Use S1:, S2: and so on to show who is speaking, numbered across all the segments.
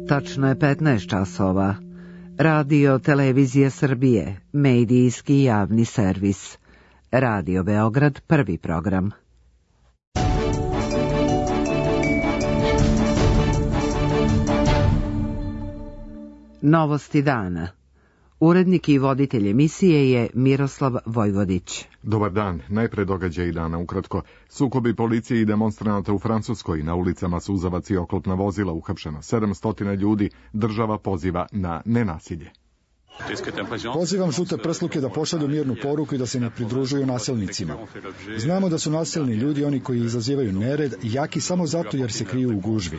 S1: Tačno je 15 časova. Radio Televizija Srbije, medijski javni servis. Radio Beograd, prvi program. Novosti dana. Urednik i voditelj emisije je Miroslav Vojvodić.
S2: Dobar dan, najpre događaji dana ukratko. Sukobi policije i demonstranata u Francuskoj, na ulicama suzavac i oklopna vozila, uhapšeno 700 ljudi, država poziva na nenasilje.
S3: Pozivam žute prsluke da pošalju mirnu poruku i da se ne pridružuju nasilnicima. Znamo da su nasilni ljudi oni koji izazivaju nered, jaki samo zato jer se kriju u gužvi.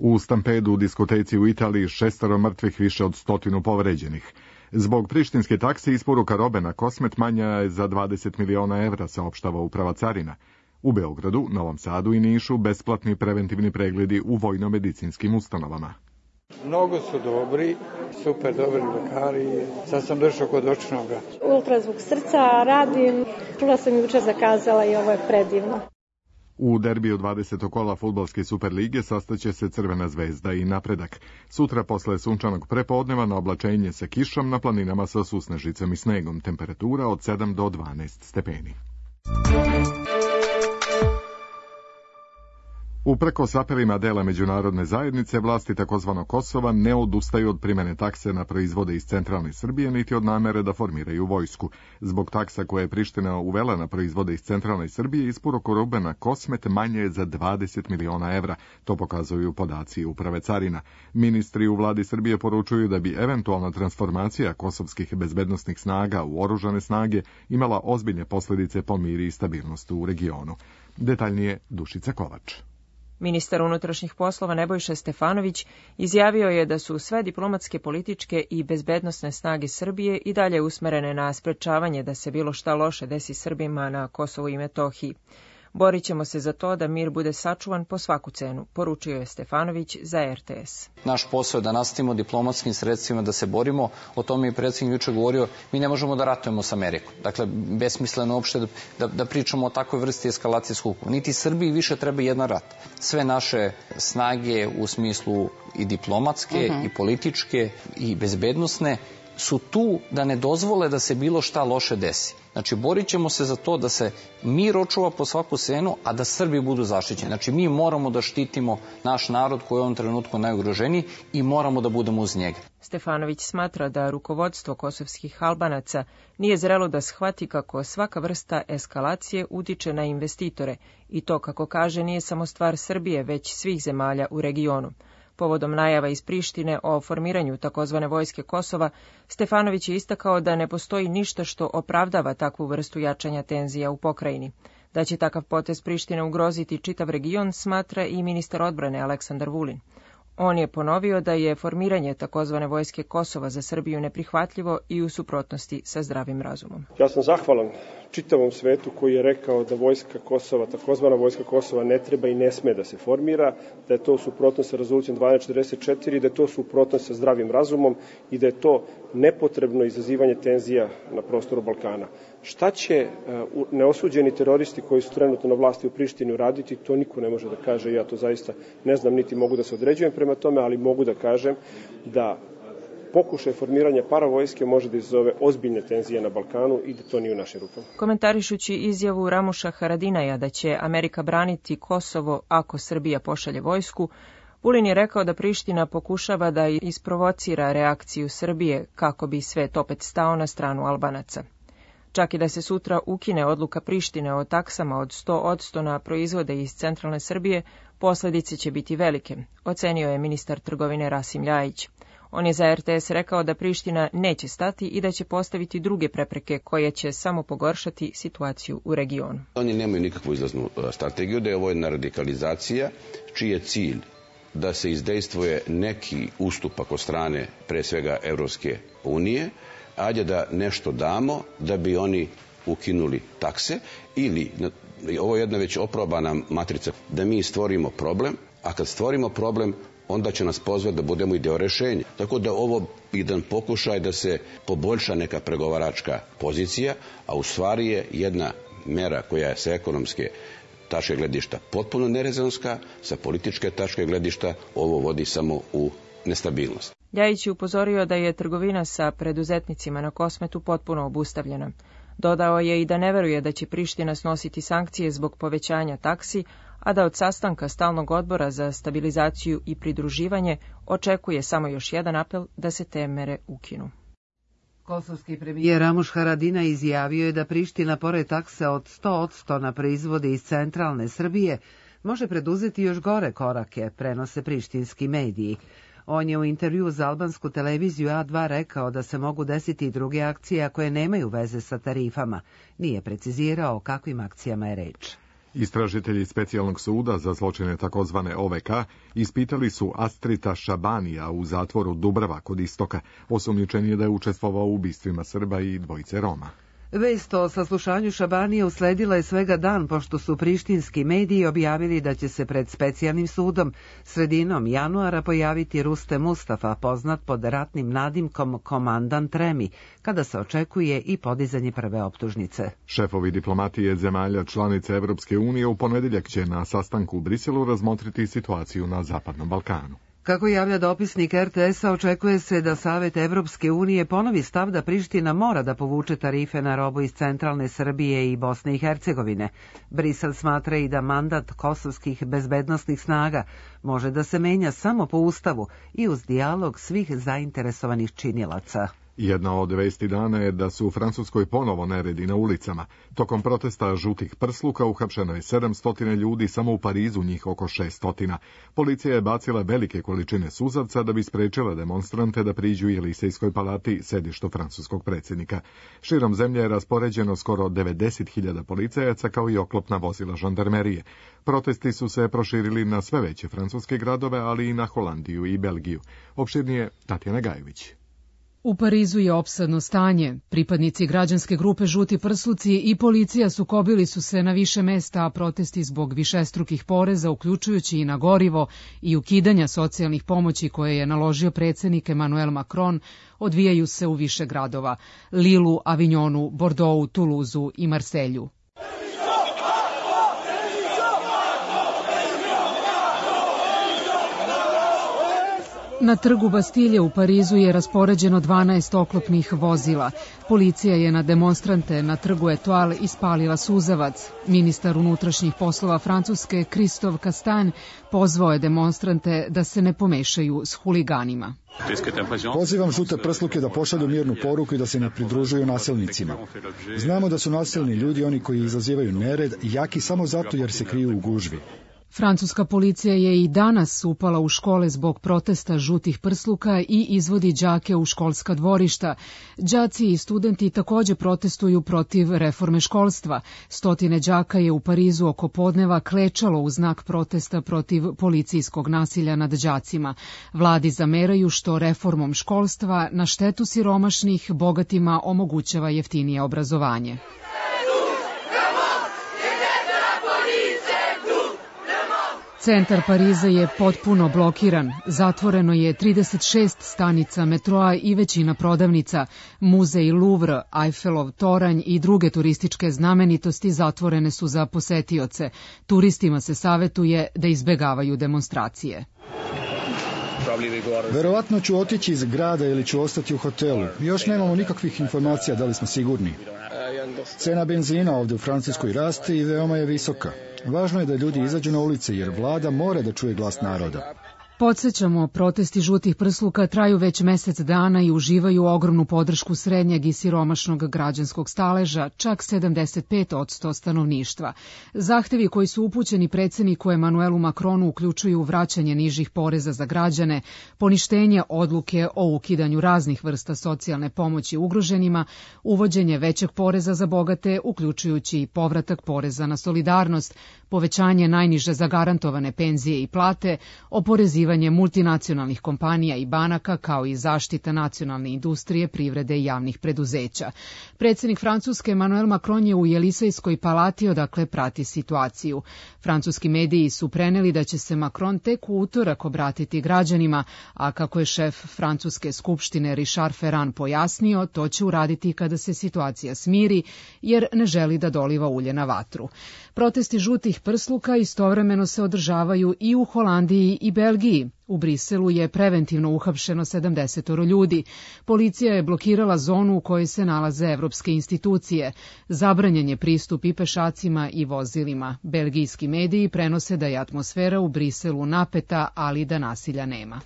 S2: U stampedu u diskoteci u Italiji 6 mrtvih, više od 100 povređenih. Zbog prištinske takse isporuka robe na Kosmet manja je za 20 miliona evra, saopštava Uprava carina. U Beogradu, Novom Sadu i Nišu besplatni preventivni pregledi u vojno-medicinskim ustanovama.
S4: Mnogo su dobri, super dobri lekari. Sad sam došao kod očnoga.
S5: Ultrazvuk srca radim, čula sam jučer zakazala i ovo je predivno.
S2: U derbiju 20. kola fudbalske Superlige sastaće se Crvena zvezda i Napredak. Sutra posle sunčanog prepodneva na oblačenje sa kišom, na planinama sa susnežicom i snegom. Temperatura od 7 do 12 stepeni. Uprkos apelima dela međunarodne zajednice, vlasti takozvanog Kosova ne odustaju od primene takse na proizvode iz centralne Srbije, niti od namere da formiraju vojsku. Zbog taksa koje je Priština uvela na proizvode iz centralne Srbije, isporuka robe na Kosmet manje je za 20 miliona evra. To pokazuju podaci Uprave carina. Ministri u vladi Srbije poručuju da bi eventualna transformacija kosovskih bezbednosnih snaga u oružane snage imala ozbiljne posljedice po mir i stabilnost u regionu. Detaljnije Dušica Kovač.
S6: Ministar unutrašnjih poslova Nebojša Stefanović izjavio je da su sve diplomatske, političke i bezbednosne snage Srbije i dalje usmerene na sprečavanje da se bilo šta loše desi Srbima na Kosovu i Metohiji. Borit ćemo se za to da mir bude sačuvan po svaku cenu, poručio je Stefanović za RTS.
S7: Naš posao je da nastavimo diplomatskim sredstvima da se borimo, o tome je predsjednik juče govorio, mi ne možemo da ratujemo s Amerikom. Dakle, besmisleno uopšte da pričamo o takvoj vrsti eskalacije sukoba. Niti Srbiji više treba jedan rat. Sve naše snage u smislu i diplomatske, i političke, i bezbednosne su tu da ne dozvole da se bilo šta loše desi. Znači, borit ćemo se za to da se mir očuva po svaku cenu, a da Srbi budu zaštićeni. Znači, mi moramo da štitimo naš narod koji je u ovom trenutku najugroženiji i moramo da budemo uz njega.
S6: Stefanović smatra da rukovodstvo kosovskih Albanaca nije zrelo da shvati kako svaka vrsta eskalacije utiče na investitore i to, kako kaže, nije samo stvar Srbije, već svih zemalja u regionu. Povodom najava iz Prištine o formiranju takozvane vojske Kosova, Stefanović je istakao da ne postoji ništa što opravdava takvu vrstu jačanja tenzija u pokrajini. Da će takav potez Prištine ugroziti čitav region, smatra i ministar odbrane Aleksandar Vulin. On je ponovio da je formiranje takozvane vojske Kosova za Srbiju neprihvatljivo i u suprotnosti sa zdravim razumom.
S8: Ja sam zahvalan čitavom svetu koji je rekao da vojska Kosova, takozvana vojska Kosova, ne treba i ne sme da se formira, da je to u suprotnosti sa rezolucijom 1244, da je to u suprotnosti sa zdravim razumom i da je to nepotrebno izazivanje tenzija na prostoru Balkana. Šta će neosuđeni teroristi koji su trenutno na vlasti u Prištini uraditi, to niko ne može da kaže. Ja to zaista ne znam, niti mogu da se određujem prema tome, ali mogu da kažem da pokušaj formiranja paravojske može da izazove ozbiljne tenzije na Balkanu i da to nije u našim rukama.
S6: Komentarišući izjavu Ramuša Haradinaja da će Amerika braniti Kosovo ako Srbija pošalje vojsku, Vulin je rekao da Priština pokušava da isprovocira reakciju Srbije kako bi svet opet stao na stranu Albanaca. Čak i da se sutra ukine odluka Prištine o taksama od 100% na proizvode iz centralne Srbije, posljedice će biti velike, ocenio je ministar trgovine Rasim Ljajić. On je za RTS rekao da Priština neće stati i da će postaviti druge prepreke koje će samo pogoršati situaciju u regionu.
S9: Oni nemaju nikakvu izlaznu strategiju, da je ovo jedna radikalizacija čiji je cilj da se izdejstvuje neki ustupak od strane, pre svega, Evropske unije, ajde da nešto damo da bi oni ukinuli takse, ili, ovo je jedna već oprobana matrica, da mi stvorimo problem, a kad stvorimo problem, onda će nas pozvati da budemo i deo rešenja. Tako da ovo jedan pokušaj da se poboljša neka pregovaračka pozicija, a u stvari je jedna mera koja je sa ekonomske tačke gledišta potpuno nerezonska, sa političke tačke gledišta ovo vodi samo u nestabilnost.
S6: Ljajić je upozorio da je trgovina sa preduzetnicima na Kosmetu potpuno obustavljena. Dodao je i da ne veruje da će Priština snositi sankcije zbog povećanja taksi, a da od sastanka Stalnog odbora za stabilizaciju i pridruživanje očekuje samo još jedan apel da se te mere ukinu.
S1: Kosovski premijer Ramuš Haradinaj izjavio je da Priština, pored takse od 100% na proizvode iz centralne Srbije, može preduzeti još gore korake, prenose prištinski mediji. On je u intervju za albansku televiziju A2 rekao da se mogu desiti i druge akcije koje nemaju veze sa tarifama. Nije precizirao o kakvim akcijama je reč.
S2: Istražitelji specijalnog suda za zločine takozvane OVK ispitali su Astrita Šabanija u zatvoru Dubrava kod Istoka. Osumnjičen je da je učestvovao u ubistvima Srba i dvojice Roma.
S1: Vest o saslušanju Šabanije usledila je svega dan pošto su prištinski mediji objavili da će se pred specijalnim sudom sredinom januara pojaviti Ruste Mustafa, poznat pod ratnim nadimkom Komandant Remi, kada se očekuje i podizanje prve optužnice.
S2: Šefovi diplomatije zemalja članice Evropske unije u ponedjeljak će na sastanku u Briselu razmotriti situaciju na Zapadnom Balkanu.
S1: Kako javlja dopisnik RTS-a, očekuje se da Savet Evropske unije ponovi stav da Priština mora da povuče tarife na robu iz centralne Srbije i Bosne i Hercegovine. Brisel smatra i da mandat kosovskih bezbednosnih snaga može da se menja samo po Ustavu i uz dijalog svih zainteresovanih činilaca.
S2: Jedna od vesti dana je da su u Francuskoj ponovo neredi na ulicama. Tokom protesta žutih prsluka uhapšeno je 700 ljudi, samo u Parizu njih oko 600. Policija je bacila velike količine suzavca da bi sprečila demonstrante da priđu Jelisejskoj palati, sedištu francuskog predsjednika. Širom zemlje je raspoređeno skoro 90.000 policajaca kao i oklopna vozila žandarmerije. Protesti su se proširili na sve veće francuske gradove, ali i na Holandiju i Belgiju. Opširnije Tatjana Gajević.
S10: U Parizu je opsadno stanje. Pripadnici građanske grupe Žuti prsluci i policija sukobili su se na više mesta, a protesti zbog višestrukih poreza, uključujući i na gorivo i ukidanja socijalnih pomoći koje je naložio predsjednik Emmanuel Macron, odvijaju se u više gradova: Lilu, Avignonu, Bordeauxu, Toulouseu i Marselju. Na trgu Bastilje u Parizu je raspoređeno 12 oklopnih vozila. Policija je na demonstrante na trgu Etoile ispalila suzavac. Ministar unutrašnjih poslova Francuske Christophe Castaing pozvao je demonstrante da se ne pomešaju s huliganima.
S3: Pozivam žute prsluke da pošalju mirnu poruku i da se ne pridružuju nasilnicima. Znamo da su nasilni ljudi oni koji izazivaju nered, jaki samo zato jer se kriju u gužvi.
S10: Francuska policija je i danas upala u škole zbog protesta žutih prsluka i izvodi đake u školska dvorišta. Đaci i studenti također protestuju protiv reforme školstva. Stotine đaka je u Parizu oko podneva klečalo u znak protesta protiv policijskog nasilja nad đacima. Vladi zameraju što reformom školstva na štetu siromašnih bogatima omogućava jeftinije obrazovanje. Centar Pariza je potpuno blokiran. Zatvoreno je 36 stanica metroa i većina prodavnica. Muzej Louvre, Eiffelov toranj i druge turističke znamenitosti zatvorene su za posetioce. Turistima se savjetuje da izbegavaju demonstracije.
S3: Verovatno ću otići iz grada ili ću ostati u hotelu. Još nemamo nikakvih informacija da li smo sigurni. Cena benzina ovdje u Francuskoj raste i veoma je visoka. Važno je da ljudi izađu na ulice jer vlada mora da čuje glas naroda.
S10: Podsjećamo, protesti žutih prsluka traju već mjesec dana i uživaju ogromnu podršku srednjeg i siromašnog građanskog staleža, čak 75% stanovništva. Zahtevi koji su upućeni predsjedniku Emmanuelu Macronu uključuju vraćanje nižih poreza za građane, poništenje odluke o ukidanju raznih vrsta socijalne pomoći ugroženima, uvođenje većeg poreza za bogate, uključujući i povratak poreza na solidarnost, povećanje najniže zagarantovane penzije i plate, oporezivanje uključivanje multinacionalnih kompanija i banaka, kao i zaštita nacionalne industrije, privrede i javnih preduzeća. Predsjednik Francuske Emmanuel Macron je u Jelisejskoj palati, odakle prati situaciju. Francuski mediji su preneli da će se Macron tek u utorak obratiti građanima, a kako je šef Francuske skupštine Richard Ferrand pojasnio, to će uraditi kada se situacija smiri, jer ne želi da doliva ulje na vatru. Protesti žutih prsluka istovremeno se održavaju i u Holandiji i Belgiji. U Briselu je preventivno uhapšeno 70 ljudi. Policija je blokirala zonu u kojoj se nalaze evropske institucije. Zabranjen je pristup i pešacima i vozilima. Belgijski mediji prenose da je atmosfera u Briselu napeta, ali da nasilja nema.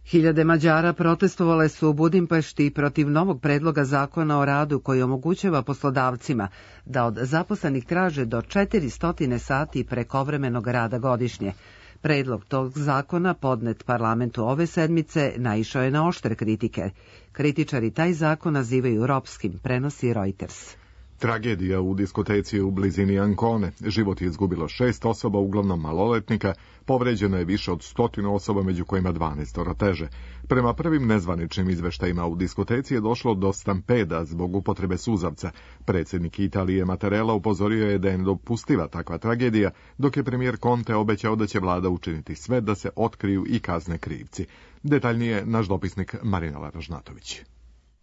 S1: Hiljade Mađara protestovale su u Budimpešti protiv novog predloga zakona o radu koji omogućava poslodavcima da od zaposlenih traže do 400 sati prekovremenog rada godišnje. Predlog tog zakona, podnet parlamentu ove sedmice, naišao je na oštre kritike. Kritičari taj zakon nazivaju ropskim, prenosi Reuters.
S2: Tragedija u diskoteci u blizini Ancone. Život je izgubilo 6 osoba, uglavnom maloletnika, povređeno je više od 100 osoba, među kojima 12 teže. Prema prvim nezvaničnim izveštajima u diskoteci je došlo do stampeda zbog upotrebe suzavca. Predsjednik Italije Mattarella upozorio je da je nedopustiva takva tragedija, dok je premijer Conte obećao da će vlada učiniti sve da se otkriju i kazne krivci. Detaljnije naš dopisnik Marina Laražnatović.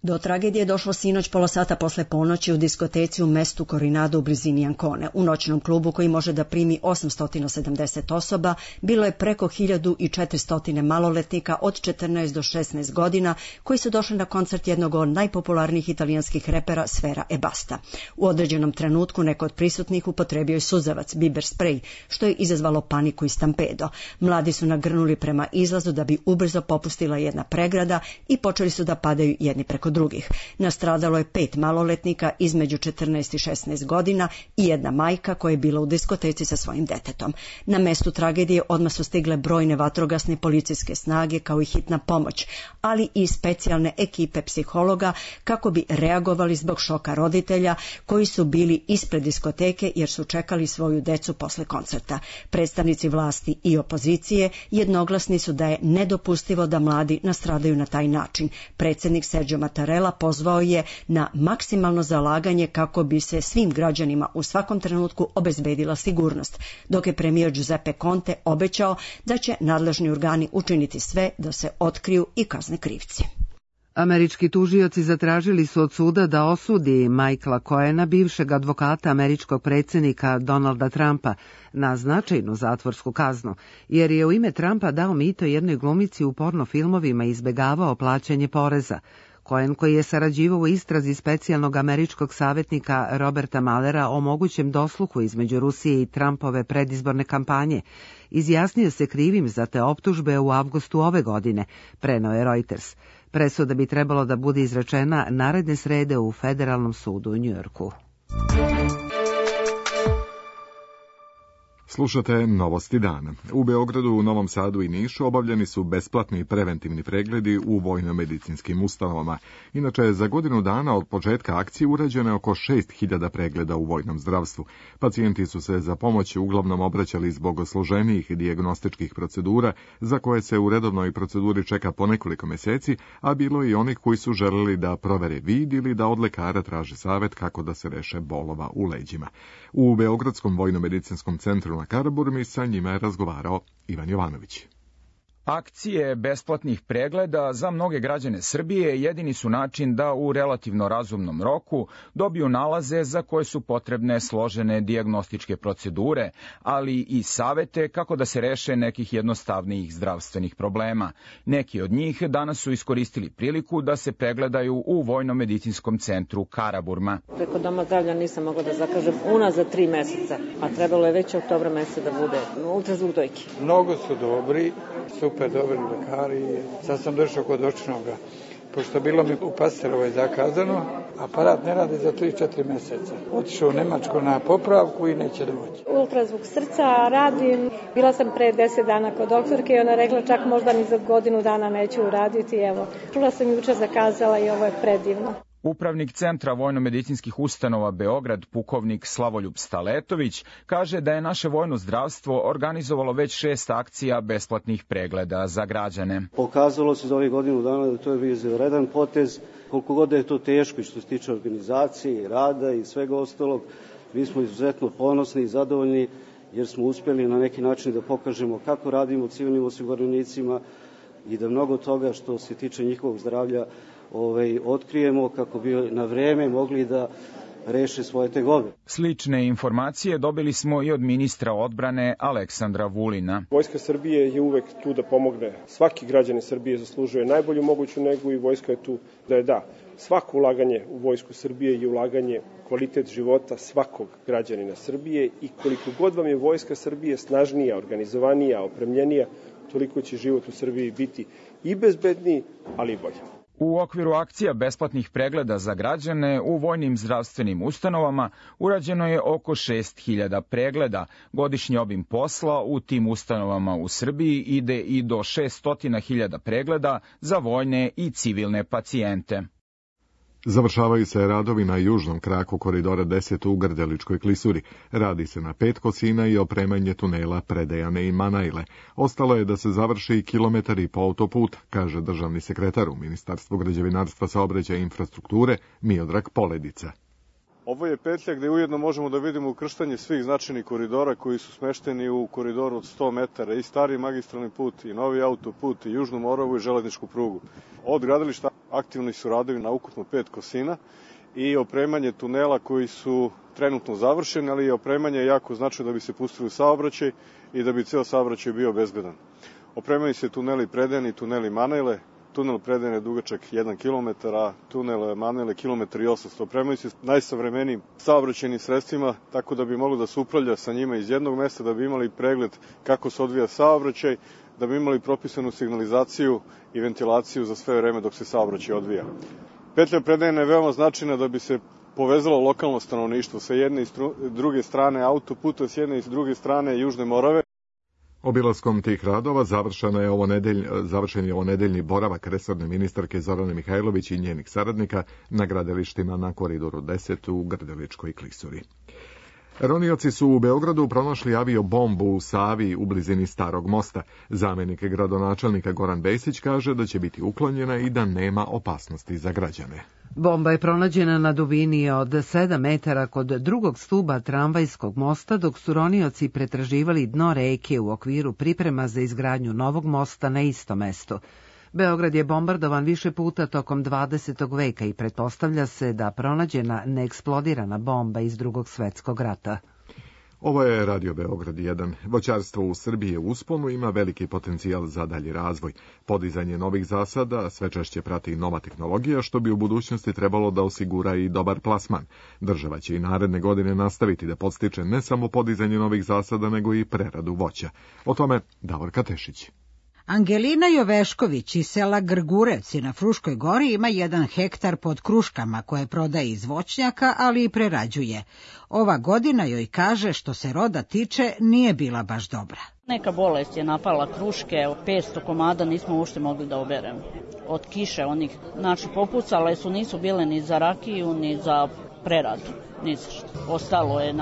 S11: Do tragedije je došlo sinoć pola sata posle ponoći u diskoteci u mestu Corinado u blizini Ancone. U noćnom klubu koji može da primi 870 osoba bilo je preko 1400 maloletnika od 14 do 16 godina koji su došli na koncert jednog od najpopularnijih italijanskih repera Sfera Ebbasta. U određenom trenutku neko od prisutnih upotrebio je suzavac, biber sprej, što je izazvalo paniku i stampedo. Mladi su nagrnuli prema izlazu da bi ubrzo popustila jedna pregrada i počeli su da padaju jedni preko drugih. Nastradalo je 5 maloletnika između 14 i 16 godina i jedna majka koja je bila u diskoteci sa svojim detetom. Na mestu tragedije odmah su stigle brojne vatrogasne policijske snage kao i hitna pomoć, ali i specijalne ekipe psihologa kako bi reagovali zbog šoka roditelja koji su bili ispred diskoteke jer su čekali svoju decu posle koncerta. Predstavnici vlasti i opozicije jednoglasni su da je nedopustivo da mladi nastradaju na taj način. Predsjednik Sergio Mattarella pozvao je na maksimalno zalaganje kako bi se svim građanima u svakom trenutku obezbedila sigurnost, dok je premijer Giuseppe Conte obećao da će nadležni organi učiniti sve da se otkriju i kazne krivci.
S1: Američki tužioci zatražili su od suda da osudi Michaela Cohena, bivšeg advokata američkog predsjednika Donalda Trumpa, na značajnu zatvorsku kaznu, jer je u ime Trumpa dao mito jednoj glumici u porno filmovima i izbegavao plaćanje poreza. Cohen, koji je sarađivao u istrazi specijalnog američkog savjetnika Roberta Muellera o mogućem dosluhu između Rusije i Trumpove predizborne kampanje, izjasnio se krivim za te optužbe u avgustu ove godine, preneo je Reuters. Presuda bi trebalo da bude izrečena naredne srede u Federalnom sudu u Njujorku.
S2: Slušate Novosti dana. U Beogradu, u Novom Sadu i Nišu obavljeni su besplatni preventivni pregledi u vojno-medicinskim ustanovama. Inače, za godinu dana od početka akcije urađeno je oko 6000 pregleda u vojnom zdravstvu. Pacijenti su se za pomoć uglavnom obraćali zbog složenijih dijagnostičkih procedura, za koje se u redovnoj proceduri čeka po nekoliko meseci, a bilo i onih koji su želeli da provere vid ili da od lekara traže savjet kako da se reše bolova u leđima. U Beogradskom vojno-medicinskom centru na Karaburmi sa njima je razgovarao Ivan Jovanović.
S12: Akcije besplatnih pregleda za mnoge građane Srbije jedini su način da u relativno razumnom roku dobiju nalaze za koje su potrebne složene dijagnostičke procedure, ali i savete kako da se reše nekih jednostavnijih zdravstvenih problema. Neki od njih danas su iskoristili priliku da se pregledaju u Vojno-medicinskom centru Karaburma.
S13: Preko Doma zdravlja nisam mogla da zakažem unazad 3 meseca, a trebalo je već oktobra meseca da bude ultrazvuk dojke.
S4: Mnogo su dobri, super dobri lekari. Sad sam došao kod očnoga, pošto bilo mi u Pasterovoj zakazano, aparat ne radi za 3-4 meseca. Otišao u Nemačku na popravku i neće doći.
S5: Ultrazvuk srca radim. Bila sam pre 10 dana kod doktorke i ona rekla čak možda ni za godinu dana neću uraditi. Evo, čula sam juče zakazala i ovo je predivno.
S12: Upravnik Centra vojno-medicinskih ustanova Beograd, pukovnik Slavoljub Staletović, kaže da je naše vojno zdravstvo organizovalo već 6 akcija besplatnih pregleda za građane.
S14: Pokazalo se za ovih godinu dana da to je bio izvanredan potez, koliko god da je to teško i što se tiče organizacije i rada i svega ostalog, mi smo izuzetno ponosni i zadovoljni jer smo uspjeli na neki način da pokažemo kako radimo civilnim osiguranicima i da mnogo toga što se tiče njihovog zdravlja otkrijemo kako bi na vreme mogli da reše svoje tegobe.
S12: Slične informacije dobili smo i od ministra odbrane Aleksandra Vulina.
S8: Vojska Srbije je uvek tu da pomogne. Svaki građanin Srbije zaslužuje najbolju moguću negu i vojska je tu da da. Svako ulaganje u vojsku Srbije je ulaganje u kvalitet života svakog građanina Srbije i koliko god vam je vojska Srbije snažnija, organizovanija, opremljenija, toliko će život u Srbiji biti i bezbedniji, ali i bolji.
S12: U okviru akcija besplatnih pregleda za građane u vojnim zdravstvenim ustanovama urađeno je oko 6.000 pregleda. Godišnji obim posla u tim ustanovama u Srbiji ide i do 600.000 pregleda za vojne i civilne pacijente.
S2: Završavaju se radovi na južnom kraku koridora 10 u Grdeličkoj klisuri. Radi se na 5 kosina i opremanje tunela Predejane i Manajle. Ostalo je da se završi kilometar i po autoputa, kaže državni sekretar u Ministarstvu građevinarstva, saobraćaja i infrastrukture Miodrag Poledica.
S15: Ovo je petlja gde ujedno možemo da vidimo ukrštanje svih značajnih koridora koji su smešteni u koridoru od 100 metara, i stari magistralni put, i novi autoput, i Južnu Moravu i železničku prugu. Od gradilišta aktivni su radovi na ukupno 5 kosina i opremanje tunela koji su trenutno završeni, ali i opremanje je jako značajno da bi se pustili u saobraćaj i da bi ceo saobraćaj bio bezbedan. Opremaju se tuneli Predejane i tuneli Manajle. Tunel Predejane je dugačak 1 km, a tunel Manajle 1,8 km. Opremaju se najsavremenijim saobraćajnim sredstvima, tako da bi moglo da se upravlja sa njima iz jednog mesta, da bi imali pregled kako se odvija saobraćaj, da bi imali propisanu signalizaciju i ventilaciju za sve vreme dok se saobraćaj odvija. Petlja Predejane je veoma značajna da bi se povezalo lokalno stanovništvo sa jedne i druge strane autoputa, s jedne i druge strane Južne Morave.
S2: Obilaskom tih radova završen je ovonedeljni boravak resorne ministarke Zorane Mihajlović i njenih saradnika na gradilištima na koridoru 10 u Grdeličkoj klisuri. Ronioci su u Beogradu pronašli aviobombu u Savi u blizini Starog mosta. Zamenik gradonačelnika Goran Besić kaže da će biti uklonjena i da nema opasnosti za građane.
S1: Bomba je pronađena na dubini od 7 metara kod drugog stuba tramvajskog mosta, dok su ronioci pretraživali dno reke u okviru priprema za izgradnju novog mosta na istom mestu. Beograd je bombardovan više puta tokom 20. veka i pretpostavlja se da pronađena neeksplodirana bomba iz Drugog svetskog rata.
S2: Ovo je Radio Beograd 1. Voćarstvo u Srbiji je u usponu, ima veliki potencijal za dalji razvoj. Podizanje novih zasada sve češće prati nova tehnologija, što bi u budućnosti trebalo da osigura i dobar plasman. Država će i naredne godine nastaviti da podstiče ne samo podizanje novih zasada, nego i preradu voća. O tome Davorka Tešić.
S16: Angelina Jovešković iz sela Grgurevci na Fruškoj gori ima 1 hektar pod kruškama koje prodaje iz voćnjaka, ali i prerađuje. Ova godina joj, kaže, što se roda tiče, nije bila baš dobra.
S17: Neka bolest je napala kruške, 500 komada nismo uopšte mogli da oberemo. Od kiše onih, znači popucale su, nisu bile ni za rakiju, ni za preradu, ni za što. Ostalo je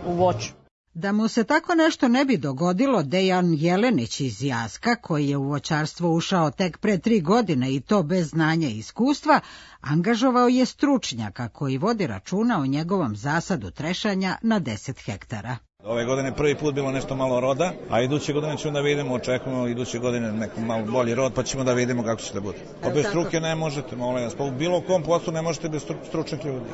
S17: u voću.
S16: Da mu se tako nešto ne bi dogodilo, Dejan Jelenić iz Jaska, koji je u voćarstvo ušao tek pre 3 godine i to bez znanja i iskustva, angažovao je stručnjaka koji vodi računa o njegovom zasadu trešanja na 10 hektara.
S18: Ove godine prvi put bilo nešto malo roda, a iduće godine ćemo da vidimo, očekujemo iduće godine neko malo bolji rod, pa ćemo da vidimo kako će da bude. Pa bez struke ne možete, molim vas, pa u bilo kom poslu ne možete bez stručnih ljudi,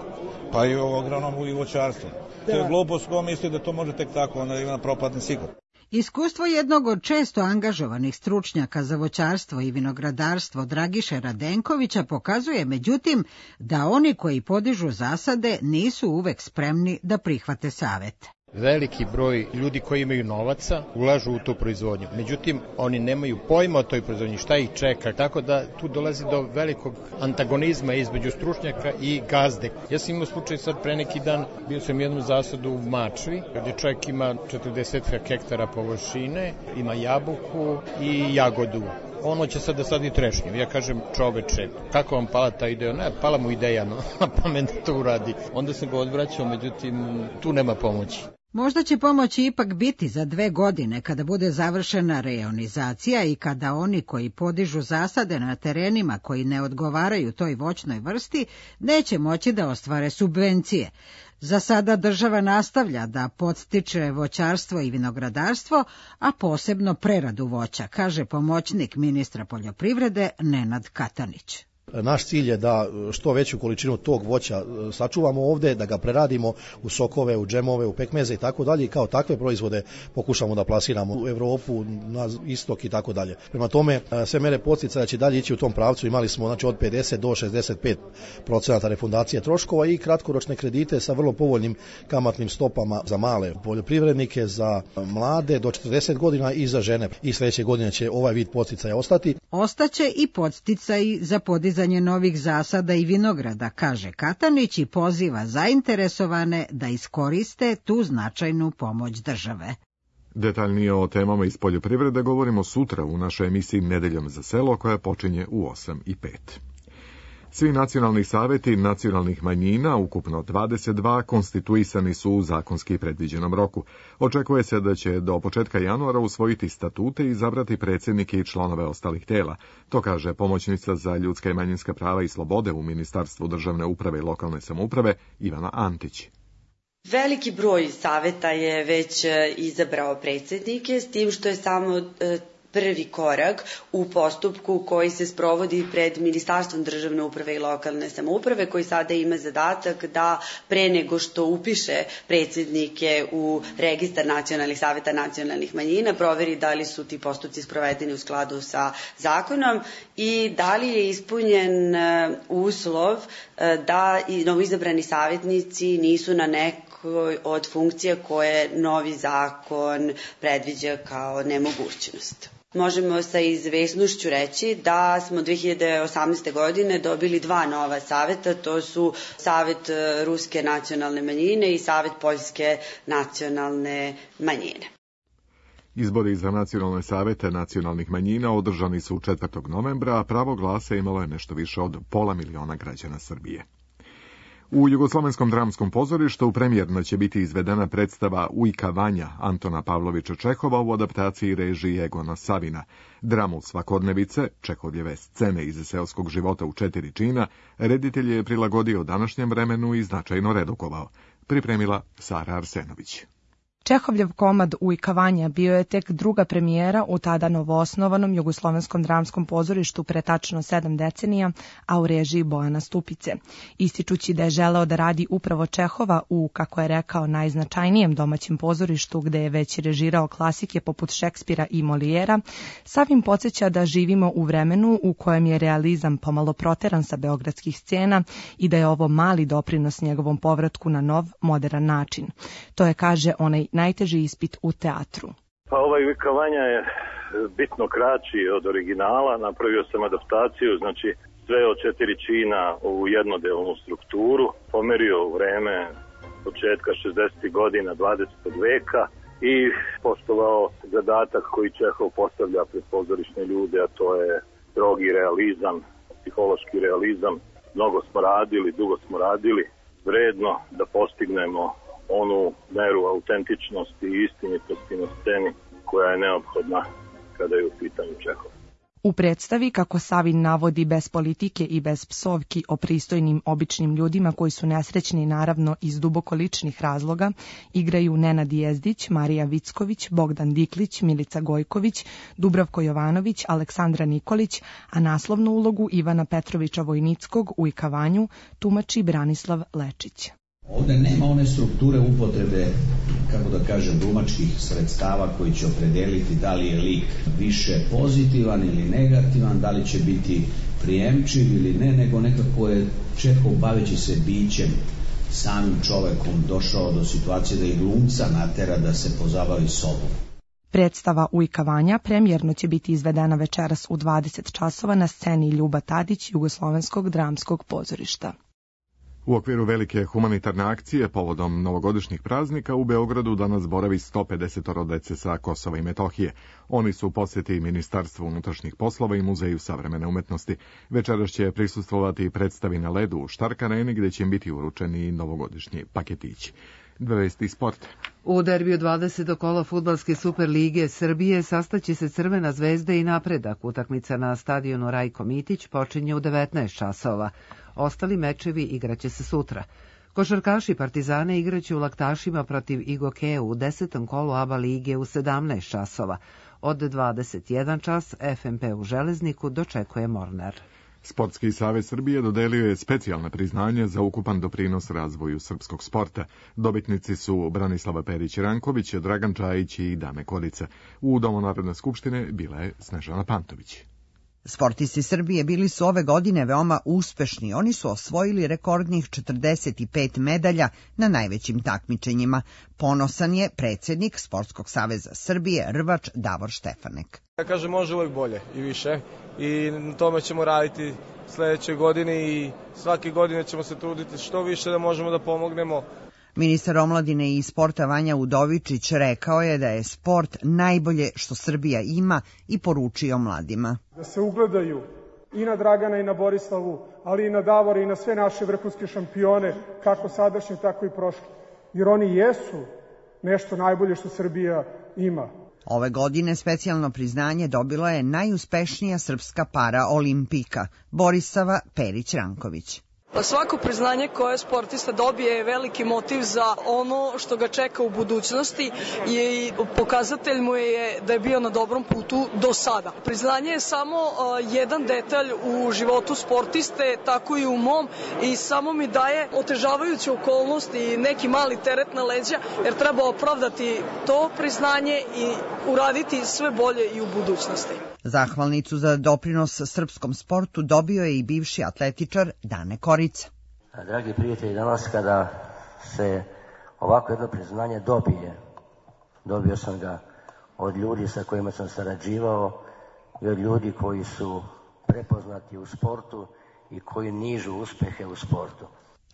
S18: pa i u agronomu i voćarstvu. To je glupost ko misli da to može tek tako, onda ima propadne sigurno.
S16: Iskustvo jednog od često angažovanih stručnjaka za voćarstvo i vinogradarstvo Dragiše Radenkovića pokazuje, međutim, da oni koji podižu zasade nisu uvek spremni da prihvate savet.
S19: Veliki broj ljudi koji imaju novaca ulažu u tu proizvodnju. Međutim, oni nemaju pojma o toj proizvodnji, šta ih čeka, tako da tu dolazi do velikog antagonizma između stručnjaka i gazde. Ja sam imao slučaj sad pre neki dan, bio sam jednu zasadu u Mačvi, gdje čovjek ima 40 hektara površine, ima jabuku i jagodu. ono će sad da sadi trešnju. Ja kažem, čoveče, kako vam pala ta ideja? Ne, pala mu ideja, no, na pamet da to uradi. Onda sam ga odvraćao, međutim, tu nema pomoći.
S16: Možda će pomoći ipak biti za 2 godine kada bude završena rejonizacija i kada oni koji podižu zasade na terenima koji ne odgovaraju toj voćnoj vrsti neće moći da ostvare subvencije. Za sada država nastavlja da podstiče voćarstvo i vinogradarstvo, a posebno preradu voća, kaže pomoćnik ministra poljoprivrede Nenad Katanić.
S20: Naš cilj je da što veću količinu tog voća sačuvamo ovde, da ga preradimo u sokove, u džemove, u pekmeze i tako dalje i kao takve proizvode pokušamo da plasiramo u Evropu, na istok i tako dalje. Prema tome, sve mere podsticaja će dalje ići u tom pravcu. Imali smo znači od 50 do 65% refundacije troškova i kratkoročne kredite sa vrlo povoljnim kamatnim stopama za male poljoprivrednike, za mlade do 40 godina i za žene. I sledeće godine će ovaj vid podsticaja ostati.
S16: Ostaće i podsticaji za podizanje novih zasada i vinograda, kaže Katanić i poziva zainteresovane da iskoriste tu značajnu pomoć države.
S2: Detaljnije o temama iz poljoprivrede govorimo sutra u našoj emisiji Nedeljom za selo koja počinje u 8:05. Svi nacionalni saveti nacionalnih manjina, ukupno 22, konstituisani su u zakonski predviđenom roku. Očekuje se da će do početka januara usvojiti statute i izabrati predsjednike i članove ostalih tela. To kaže pomoćnica za ljudska i manjinska prava i slobode u Ministarstvu državne uprave i lokalne samouprave Ivana Antić.
S21: Veliki broj saveta je već izabrao predsjednike, s tim što je samo prvi korak u postupku koji se sprovodi pred Ministarstvom državne uprave i lokalne samouprave, koji sada ima zadatak da pre nego što upiše predsjednike u registar nacionalnih saveta nacionalnih manjina, proveri da li su ti postupci sprovedeni u skladu sa zakonom i da li je ispunjen uslov da i novoizabrani savjetnici nisu na nekoj od funkcija koje novi zakon predviđa kao nemogućnost. Možemo sa izvesnošću reći da smo 2018. godine dobili 2 nova saveta, to su Savet Ruske nacionalne manjine i Savet Poljske nacionalne manjine.
S2: Izbori za nacionalne savete nacionalnih manjina održani su 4. novembra, a pravo glasa imalo je nešto više od 500.000 građana Srbije. U Jugoslovenskom dramskom pozorištu premijerno će biti izvedena predstava Ujka Vanja Antona Pavlovića Čehova u adaptaciji režije Egona Savina. Dramu svakodnevice, Čehovljeve scene iz seoskog života u 4 čina, reditelj je prilagodio današnjem vremenu i značajno redukovao. Pripremila Sara Arsenović.
S22: Čehovljev komad Ujka Vanja bio je tek druga premijera u tada novoosnovanom Jugoslovenskom dramskom pozorištu pre tačno 7 decenija, a u režiji Bojana Stupice. Ističući da je želeo da radi upravo Čehova u, kako je rekao, najznačajnijem domaćem pozorištu gde je već režirao klasike poput Šekspira i Molijera, Savin podsjeća da živimo u vremenu u kojem je realizam pomalo proteran sa beogradskih scena i da je ovo mali doprinos njegovom povratku na nov, moderan način. To je, kaže, onaj najteži ispit u teatru.
S23: Pa ovaj Ujka Vanja je bitno kraći od originala, napravio sam adaptaciju, znači sve od 4 čina u jednodelnu strukturu, pomerio u vreme početka 60. godina 20. veka i poštovao zadatak koji Čehov postavlja pred pozorišne ljude, a to je strogi realizam, psihološki realizam. Mnogo smo radili, dugo smo radili, vredno da postignemo onu meru autentičnosti i istinitosti na sceni koja je neophodna kada je u pitanju Čehov.
S22: U predstavi, kako Savin navodi, bez politike i bez psovki o pristojnim običnim ljudima koji su nesrećni naravno iz duboko ličnih razloga, igraju Nenad Jezdić, Marija Vicković, Bogdan Diklić, Milica Gojković, Dubravko Jovanović, Aleksandra Nikolić, a naslovnu ulogu Ivana Petrovića Vojnickog u Ujka Vanju tumači Branislav Lečić.
S24: Ovde nema one strukture upotrebe, kako da kažem, glumačkih sredstava koji će opredeliti da li je lik više pozitivan ili negativan, da li će biti prijemčiv ili ne, nego nekako je Čehov, baveći se bićem, samim čovekom, došao do situacije da i glumca natera da se pozabavi sobom.
S22: Predstava Ujka Vanja premijerno će biti izvedena večeras u 20 časova na sceni Ljuba Tadić Jugoslovenskog dramskog pozorišta.
S2: U okviru velike humanitarne akcije povodom novogodišnjih praznika u Beogradu danas boravi 150 dece sa Kosova i Metohije. Oni su u posjeti Ministarstvu unutrašnjih poslova i Muzeju savremene umetnosti. Večeras će prisustvovati predstavi na ledu u Štark areni gdje će im biti uručeni novogodišnji paketići. Vesti sport.
S1: U derbiju 20. kola fudbalske Super lige Srbije sastaće se Crvena zvezda i Napredak. Utakmica na stadionu Rajko Mitić počinje u 19 časova. Ostali mečevi igraće se sutra. Košarkaši Partizane igraće u Laktašima protiv Igoke u 10. kolu ABA lige u 17 časova. Od 21 čas FMP u Železniku dočekuje Mornar.
S2: Sportski savez Srbije dodelio je specijalne priznanje za ukupan doprinos razvoju srpskog sporta. Dobitnici su Branislava Perić-Ranković, Dragan Čajić i Dane Korica. U Domu Narodne skupštine bila je Snežana Pantović.
S3: Sportisti Srbije bili su ove godine veoma uspešni. Oni su osvojili rekordnih 45 medalja na najvećim takmičenjima. Ponosan je predsjednik Sportskog saveza Srbije, rvač Davor Štefanek.
S6: Ja kažem, može uvijek bolje i više i na tome ćemo raditi sljedeće godine i svake godine ćemo se truditi što više da možemo da pomognemo.
S3: Ministar omladine i sporta Vanja Udovičić rekao je da je sport najbolje što Srbija ima i poručio mladima.
S7: Da se ugledaju i na Dragana i na Borislavu, ali i na Davora i na sve naše vrhunske šampione, kako sadašnje, tako i prošle. Jer oni jesu nešto najbolje što Srbija ima.
S3: Ove godine specijalno priznanje dobila je najuspešnija srpska para olimpika, Borisava Perić-Ranković.
S9: Svako priznanje koje sportista dobije je veliki motiv za ono što ga čeka u budućnosti i pokazatelj mu je da je bio na dobrom putu do sada. Priznanje je samo jedan detalj u životu sportiste, tako i u mom, i samo mi daje otežavajuću okolnost i neki mali teret na leđa, jer treba opravdati to priznanje i uraditi sve bolje i u budućnosti.
S3: Zahvalnicu za doprinos srpskom sportu dobio je i bivši atletičar Dane Korica.
S25: Dragi prijatelji, danas kada se ovako jedno priznanje dobio sam ga od ljudi sa kojima sam sarađivao i od ljudi koji su prepoznati u sportu i koji nižu uspehe u sportu.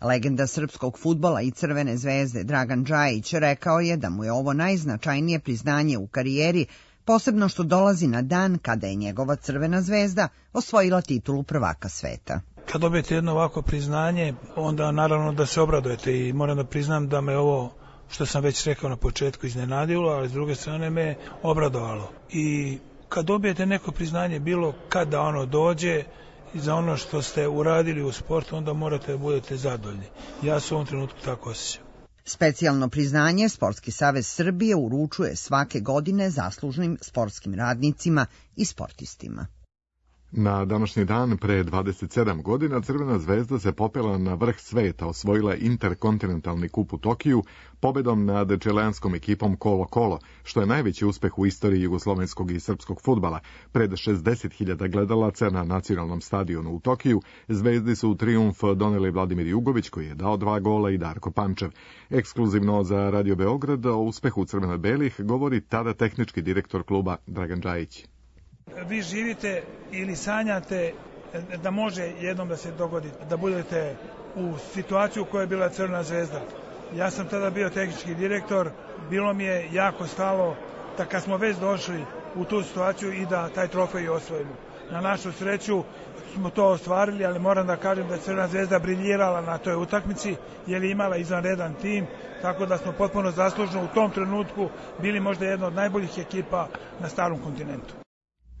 S3: Legenda srpskog fudbala i Crvene zvezde Dragan Čajić rekao je da mu je ovo najznačajnije priznanje u karijeri, posebno što dolazi na dan kada je njegova Crvena zvezda osvojila titulu prvaka sveta.
S26: Kad dobijete jedno ovako priznanje, onda naravno da se obradujete i moram da priznam da me ovo, što sam već rekao na početku, iznenadilo, ali s druge strane me obradovalo. I kad dobijete neko priznanje, bilo kada ono dođe, za ono što ste uradili u sportu, onda morate da budete zadovoljni. Ja se u ovom trenutku tako osjećam.
S3: Specijalno priznanje Sportski savez Srbije uručuje svake godine zaslužnim sportskim radnicima i sportistima.
S2: Na današnji dan pre 27 godina Crvena zvezda se popela na vrh sveta, osvojila interkontinentalni kup u Tokiju pobedom nad čileanskom ekipom Colo-Colo, što je najveći uspeh u istoriji jugoslovenskog i srpskog fudbala. Pred 60.000 gledalaca na nacionalnom stadionu u Tokiju zvezdi su u trijumf doneli Vladimir Jugović, koji je dao 2 gola, i Darko Pančev. Ekskluzivno za Radio Beograd o uspehu crveno-belih govori tada tehnički direktor kluba Dragan Čajić.
S26: Vi živite ili sanjate da može jednom da se dogodi, da budete u situaciju u kojoj je bila Crvena zvezda. Ja sam tada bio tehnički direktor, bilo mi je jako stalo da kad smo već došli u tu situaciju i da taj trofej osvojimo. Na našu sreću smo to ostvarili, ali moram da kažem da je Crvena zvezda briljirala na toj utakmici, jer je imala izvanredan tim, tako da smo potpuno zaslužno u tom trenutku bili možda jedna od najboljih ekipa na starom kontinentu.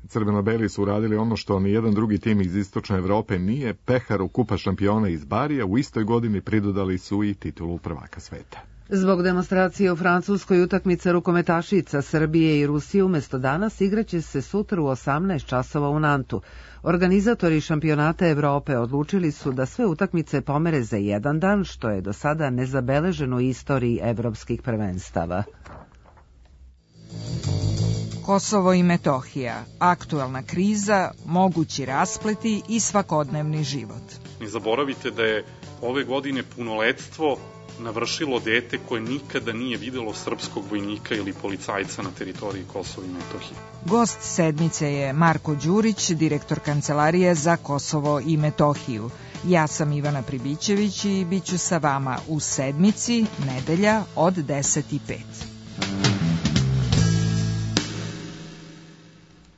S2: Crveno-beli su uradili ono što nijedan drugi tim iz istočne Evrope nije, peharu Kupa šampiona iz Barija, u istoj godini pridodali su i titulu prvaka sveta.
S1: Zbog demonstracije u Francuskoj utakmica rukometašica Srbije i Rusije umjesto danas igraće se sutra u 18 časova u Nantu. Organizatori šampionata Evrope odlučili su da sve utakmice pomere za jedan dan, što je do sada nezabeleženo u istoriji evropskih prvenstava.
S27: Kosovo i Metohija, aktuelna kriza, mogući raspleti i svakodnevni život.
S28: Ne zaboravite da je ove godine punoletstvo navršilo dete koje nikada nije videlo srpskog vojnika ili policajca na teritoriji Kosova i Metohije.
S27: Gost sedmice je Marko Đurić, direktor Kancelarije za Kosovo i Metohiju. Ja sam Ivana Pribićević i bit ću sa vama u sedmici, nedelja od 10:05.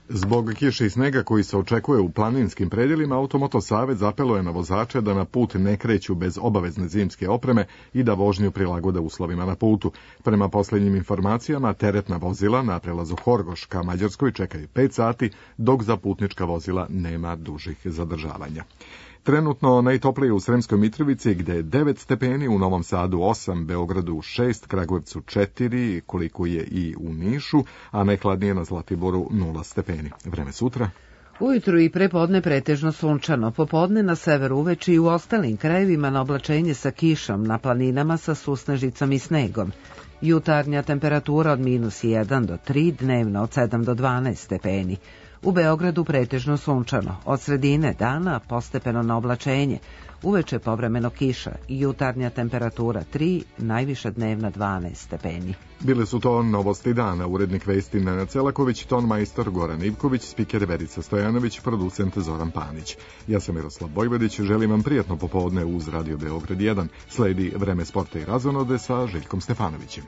S2: Zbog kiše i snega koji se očekuje u planinskim predjelima, Automoto Savez apeluje na vozače da na put ne kreću bez obavezne zimske opreme i da vožnju prilagode uslovima na putu. Prema posljednjim informacijama, teretna vozila na prelazu Horgoš ka Mađarskoj čekaju 5 sati, dok za putnička vozila nema dužih zadržavanja. Trenutno najtoplije u Sremskoj Mitrovici, gde je 9 stepeni, u Novom Sadu 8, Beogradu 6, Kragujevcu 4, koliko je i u Nišu, a najhladnije na Zlatiboru 0 stepeni. Vreme sutra.
S1: Ujutru i prepodne pretežno sunčano, popodne na severu uveče i u ostalim krajevima na oblačenje sa kišom, na planinama sa susnežicom i snegom. Jutarnja temperatura od -1 do 3, dnevno od 7 do 12 stepeni. U Beogradu pretežno sunčano, od sredine dana postepeno na oblačenje, uveče povremeno kiša i jutarnja temperatura 3, najviša dnevna 12 stepeni.
S2: Bile su to novosti dana, urednik vesti Nenad Celaković, ton majstor Goran Ivković, spiker Verica Stojanović, producent Zoran Panić. Ja sam Miroslav Bojvodić, želim vam prijatno popodne uz Radio Beograd 1. Sledi vreme sporta i razonode sa Željkom Stefanovićem.